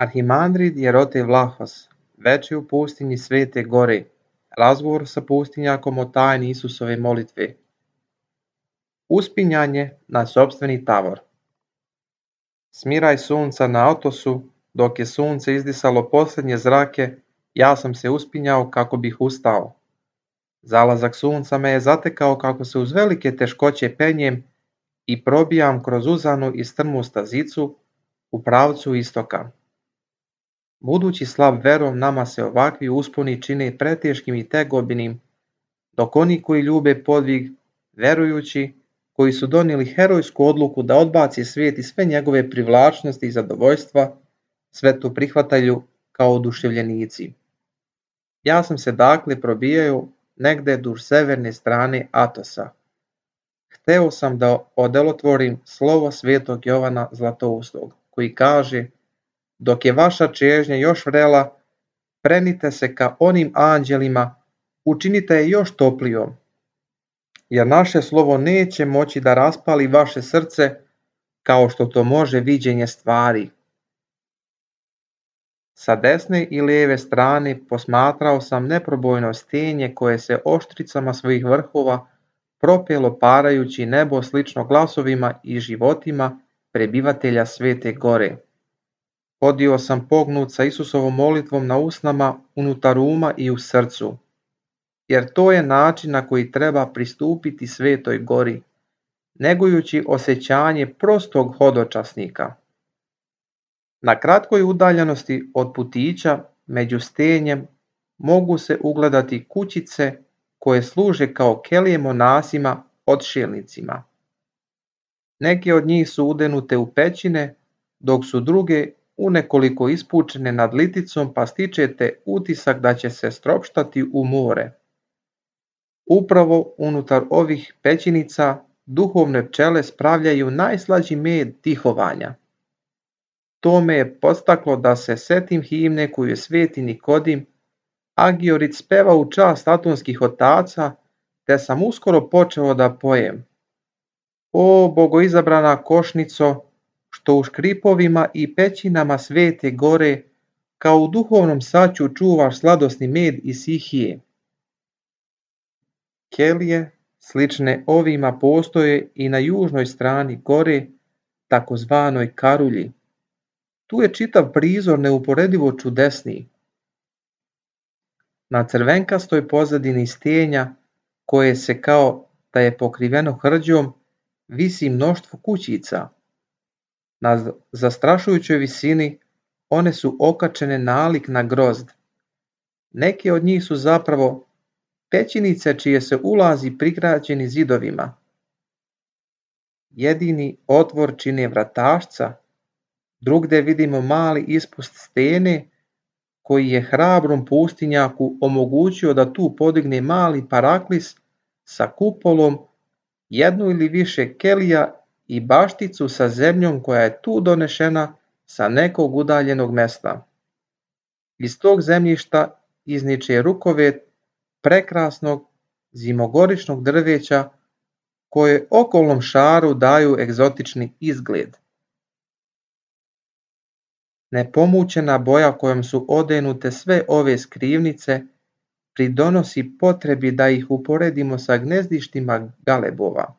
Arhimandrid Jerote Vlahos, veče u pustinji Svete Gore, razgovor sa pustinjakom o tajni Isusove molitve. Uspinjanje na sopstveni tavor. Smiraj sunca na Atosu, dok je sunce izdisalo posljednje zrake, ja sam se uspinjao kako bih ustao. Zalazak sunca me je zatekao kako se uz velike teškoće penjem i probijam kroz uzanu i strmu stazicu u pravcu istoka. Budući slab verom, nama se ovakvi usponi čine preteškim i tegobinim, dok oni koji ljube podvig, verujući, koji su donijeli herojsku odluku da odbaci svijet i sve njegove privlačnosti i zadovoljstva, sve to prihvataju kao oduševljenici. Ja sam se dakle probijao negde duž severne strane Atosa. Hteo sam da odelotvorim slovo svetog Jovana Zlatoustog, koji kaže: dok je vaša čežnja još vrela, prenite se ka onim anđelima, učinite je još toplijom, jer naše slovo neće moći da raspali vaše srce kao što to može viđenje stvari. Sa desne i lijeve strane posmatrao sam neprobojno stenje koje se oštricama svojih vrhova propelo parajući nebo slično glasovima i životima prebivatelja Svete Gore. Hodio sam pognut sa Isusovom molitvom na usnama, unutar uma i u srcu, jer to je način na koji treba pristupiti Svetoj Gori, negujući osjećanje prostog hodočasnika. Na kratkoj udaljenosti od putića među stenjem mogu se ugledati kućice koje služe kao kelije monasima odšelnicima. Neke od njih su udenute u pećine, dok su druge unekoliko ispučene nad liticom, pa stičete utisak da će se stropštati u more. Upravo unutar ovih pećinica duhovne pčele spravljaju najslađi med tihovanja. To me je podstaklo da se setim himne koju je sveti Nikodim Agiorit speva u čast atonskih otaca, te sam uskoro počeo da pojem. O bogoizabrana košnico, što u škripovima i pećinama Svete Gore, kao u duhovnom saću čuvaš sladosni med i sihije. Kelije slične ovima postoje i na južnoj strani gore, takozvanoj Karulji. Tu je čitav prizor neuporedivo čudesniji. Na crvenkastoj pozadini stenja, koje se kao da je pokriveno hrđom, visi mnoštvo kućica. Na zastrašujućoj visini one su okačene nalik na grozd. Neke od njih su zapravo pećinice čije se ulazi prigrađeni zidovima. Jedini otvor čine vratašca, drugde vidimo mali ispust stene koji je hrabrom pustinjaku omogućio da tu podigne mali paraklis sa kupolom, jednu ili više kelija i bašticu sa zemljom koja je tu donešena sa nekog udaljenog mesta. Iz tog zemljišta izniče rukovet prekrasnog zimogoričnog drveća koje okolnom šaru daju egzotični izgled. Nepomućena boja kojom su odenute sve ove skrivnice pridonosi potrebi da ih uporedimo sa gnezdištima galebova.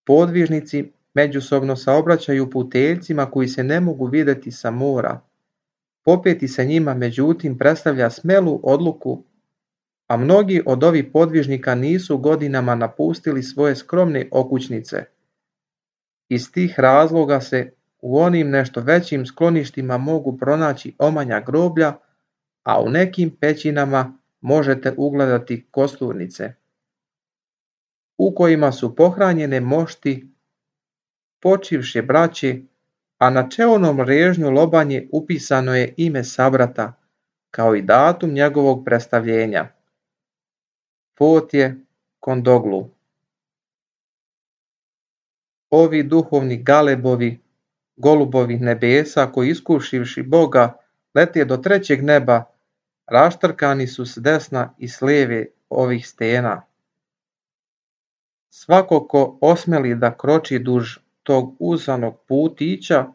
Podvižnici međusobno saobraćaju puteljcima koji se ne mogu videti sa mora. Popeti se njima međutim predstavlja smelu odluku, a mnogi od ovih podvižnika nisu godinama napustili svoje skromne okućnice. Iz tih razloga se u onim nešto većim skloništima mogu pronaći omanja groblja, a u nekim pećinama možete ugledati kosturnice, u kojima su pohranjene mošti počivše braće, a na čelnom režnju lobanje upisano je ime sabrata, kao i datum njegovog predstavljenja. Pot je Kondoglu. Ovi duhovni galebovi, golubovi nebesa, koji iskušivši Boga lete do trećeg neba, raštrkani su s desna i s lijeve ovih stena. Svako ko osmeli da kroči duž tog uzanog putića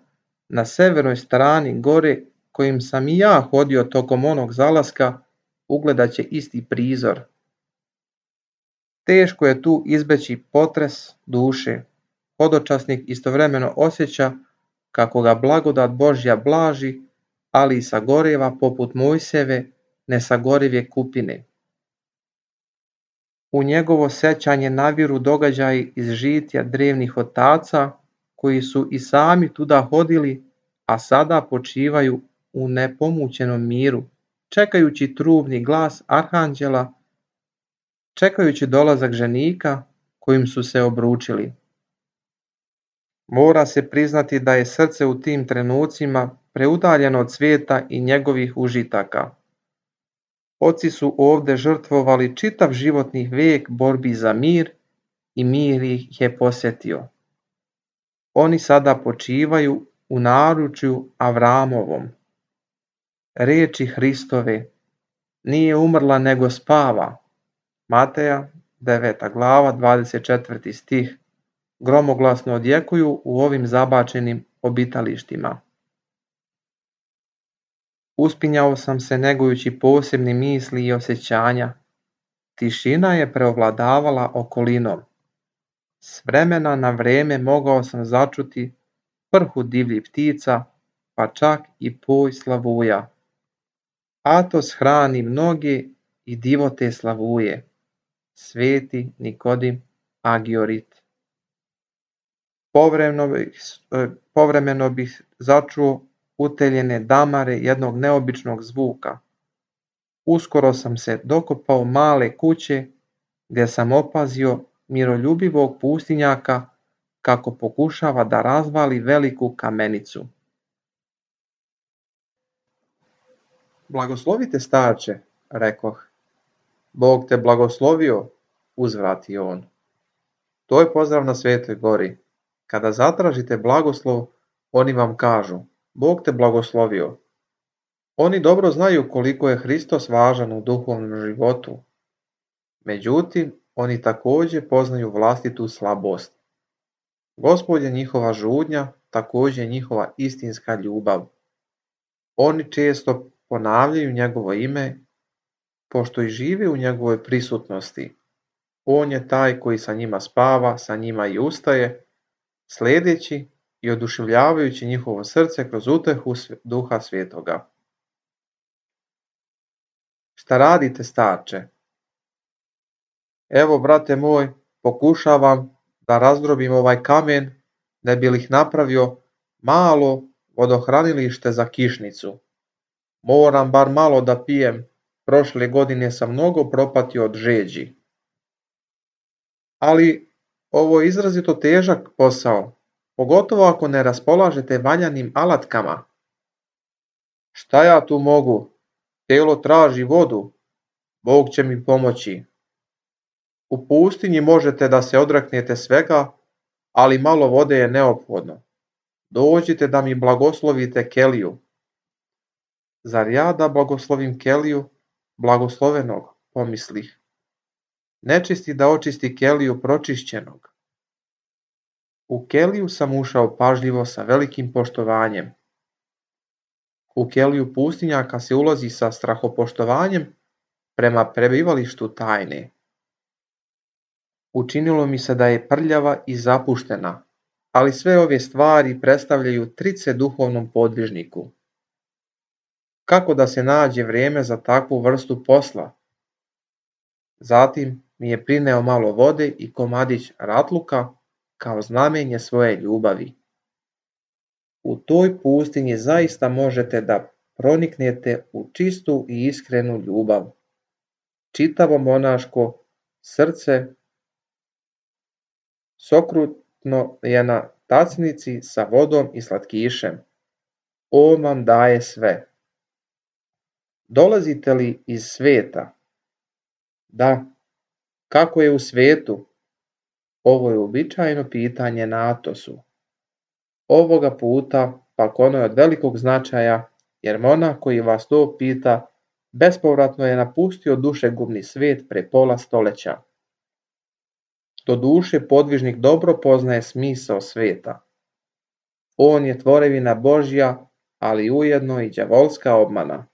na severnoj strani gore, kojim sam i ja hodio tokom onog zalaska, ugledat će isti prizor. Teško je tu izbeći potres duše. Hodočasnik istovremeno osjeća kako ga blagodat Božja blaži, ali i sagoreva poput Mojsijeve nesagorive kupine. U njegovo sećanje naviru događaji iz žitja drevnih otaca, koji su i sami tuda hodili, a sada počivaju u nepomućenom miru, čekajući trubni glas arhanđela, čekajući dolazak ženika kojim su se obručili. Mora se priznati da je srce u tim trenucima preudaljeno od svijeta i njegovih užitaka. Oci su ovde žrtvovali čitav životni vijek borbi za mir i mir ih je posjetio. Oni sada počivaju u naručju Avramovom. Riječi Hristove, nije umrla nego spava. Mateja 9. glava 24. stih gromoglasno odjekuju u ovim zabačenim obitalištima. Uspinjao sam se negujući posebne misli i osjećanja. Tišina je preovladavala okolinom. S vremena na vrijeme mogao sam začuti prhu divljih ptica, pa čak i poj slavuja. Atos hrani mnoge i divote slavuje. Sveti Nikodim Agiorit. Povremeno bih začuo uteljene damare jednog neobičnog zvuka. Uskoro sam se dokopao male kuće gdje sam opazio miroljubivog pustinjaka kako pokušava da razvali veliku kamenicu. Blagoslovite starče, rekoh. Bog te blagoslovio, uzvratio on. To je pozdrav na Svetoj gori. Kada zatražite blagoslov, oni vam kažu, Bog te blagoslovio. Oni dobro znaju koliko je Hristos važan u duhovnom životu. Međutim, oni također poznaju vlastitu slabost. Gospod je njihova žudnja, također njihova istinska ljubav. Oni često ponavljaju njegovo ime, pošto i žive u njegovoj prisutnosti. On je taj koji sa njima spava, sa njima i ustaje, sljedeći i oduševljavajući njihovo srce kroz utehu Duha Svetoga. Šta radite, starče? Evo, brate moj, pokušavam da razdrobim ovaj kamen, ne bi li napravio malo vodohranilište za kišnicu. Moram bar malo da pijem, prošle godine sam mnogo propatio od žeđi. Ali ovo je izrazito težak posao, pogotovo ako ne raspolažete valjanim alatkama. Šta ja tu mogu? Telo traži vodu, Bog će mi pomoći. U pustinji možete da se odreknete svega, ali malo vode je neophodno. Dođite da mi blagoslovite keliju. Zar ja da blagoslovim keliju blagoslovenog, pomislih. Nečisti da očisti keliju pročišćenog. U keliju sam ušao pažljivo sa velikim poštovanjem. U keliju pustinjaka se ulazi sa strahopoštovanjem prema prebivalištu tajne. Učinilo mi se da je prljava i zapuštena, ali sve ove stvari predstavljaju trice duhovnom podvižniku. Kako da se nađe vrijeme za takvu vrstu posla? Zatim mi je prineo malo vode i komadić ratluka kao znamenje svoje ljubavi. U toj pustinji zaista možete da proniknete u čistu i iskrenu ljubav. Čitavo monaško srce sokrutno je na tacnici sa vodom i slatkišem. On vam daje sve. Dolazite li iz sveta? Da. Kako je u svijetu? Ovo je uobičajeno pitanje na Atosu. Ovoga puta pak ono je od velikog značaja, jer monah koji vas to pita bespovratno je napustio dušegubni svijet pre pola stoljeća. Doduše podvižnik dobro poznaje smisao svijeta. On je tvorevina Božja, ali ujedno i đavolska obmana.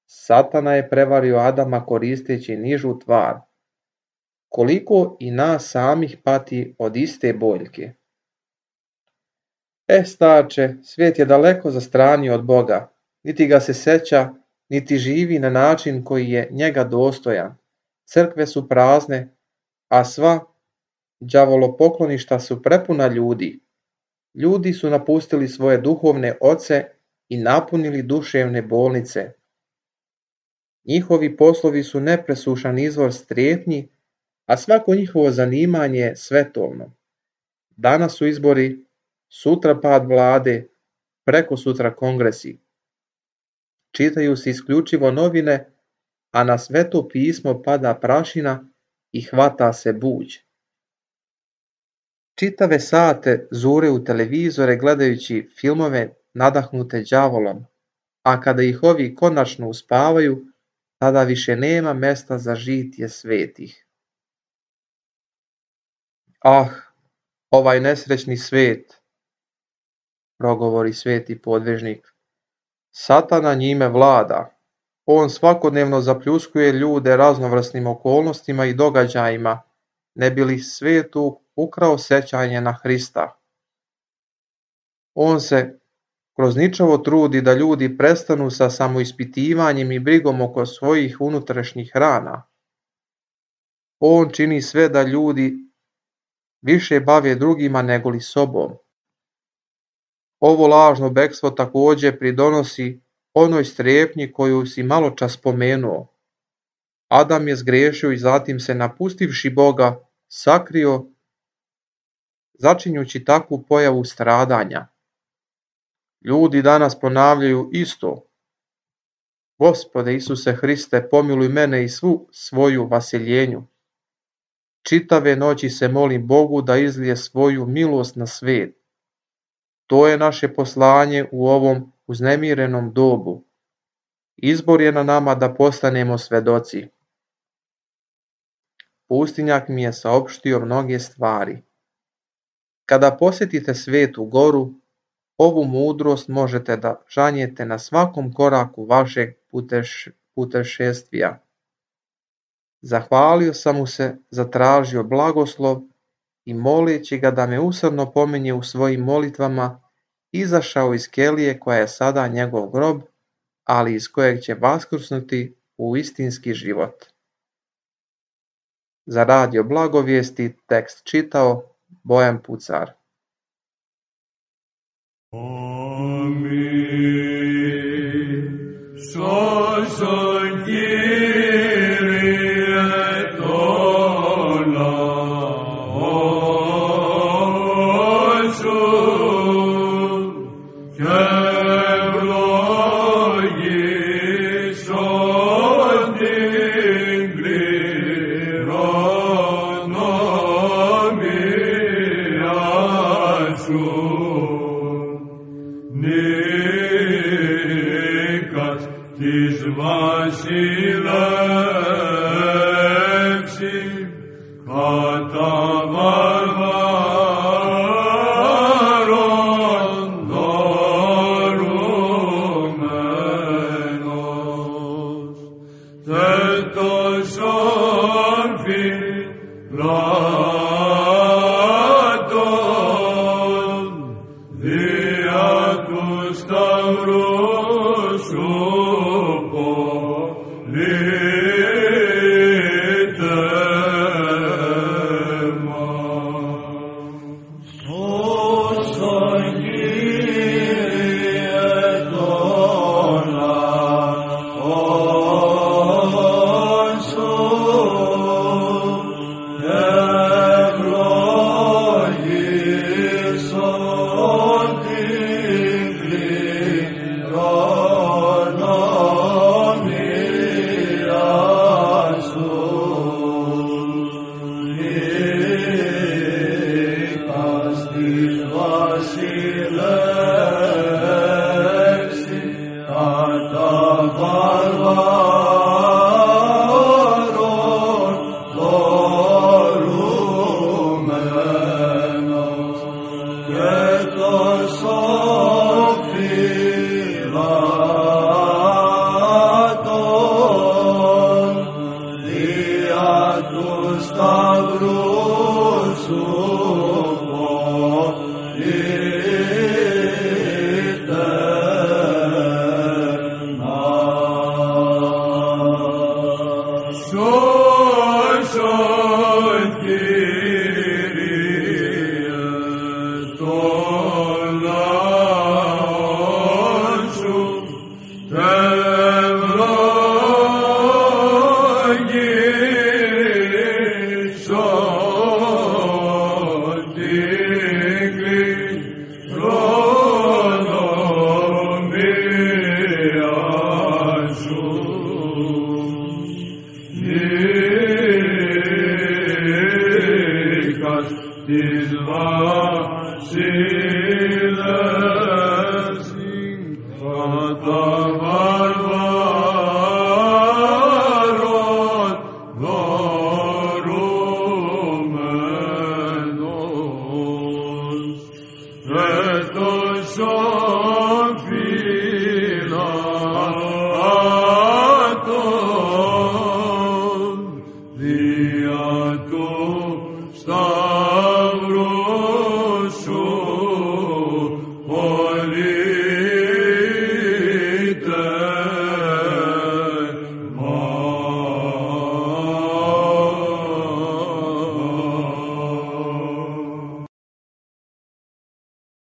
Satana je prevario Adama koristeći nižu tvar. Koliko i nas samih pati od iste boljke. Starče, svijet je daleko zastranio od Boga, niti ga se seća, niti živi na način koji je njega dostojan. Crkve su prazne, a sva đavolopokloništa su prepuna ljudi. Ljudi su napustili svoje duhovne oce i napunili duševne bolnice. Njihovi poslovi su nepresušan izvor strepnji, a svako njihovo zanimanje je svetovno. Danas su izbori, sutra pad vlade, preko sutra kongresi. Čitaju se isključivo novine, a na sveto pismo pada prašina i hvata se buđ. Čitave sate zure u televizore gledajući filmove nadahnute đavolom, a kada ih ovi konačno uspavaju, tada više nema mesta za žitje svetih. Ah, ovaj nesrećni svet, progovori sveti podvižnik. Satana njime vlada. On svakodnevno zapljuskuje ljude raznovrsnim okolnostima i događajima, ne bi li svetu ukrao sećanje na Hrista. On se kroz ničavo trudi da ljudi prestanu sa samoispitivanjem i brigom oko svojih unutrašnjih rana. On čini sve da ljudi više bave drugima nego li sobom. Ovo lažno bekstvo također pridonosi onoj strepnji koju si maločas spomenuo. Adam je zgrešio i zatim se napustivši Boga sakrio, začinjući takvu pojavu stradanja. Ljudi danas ponavljaju isto. Gospode Isuse Hriste, pomiluj mene i svu svoju vaseljenju. Čitave noći se molim Bogu da izlije svoju milost na svijet. To je naše poslanje u ovom uznemirenom dobu. Izbor je na nama da postanemo svedoci. pustinjak mi je saopštio mnoge stvari. Kada posjetite Svetu Goru, ovu mudrost možete da žanjete na svakom koraku vašeg putešestvija. Zahvalio sam mu se, zatražio blagoslov i moleći ga da me usrdno pominje u svojim molitvama, izašao iz kelije koja je sada njegov grob, ali iz kojeg će vaskrsnuti u istinski život. Za radio Blagovijesti tekst čitao Bojan Pucar. Is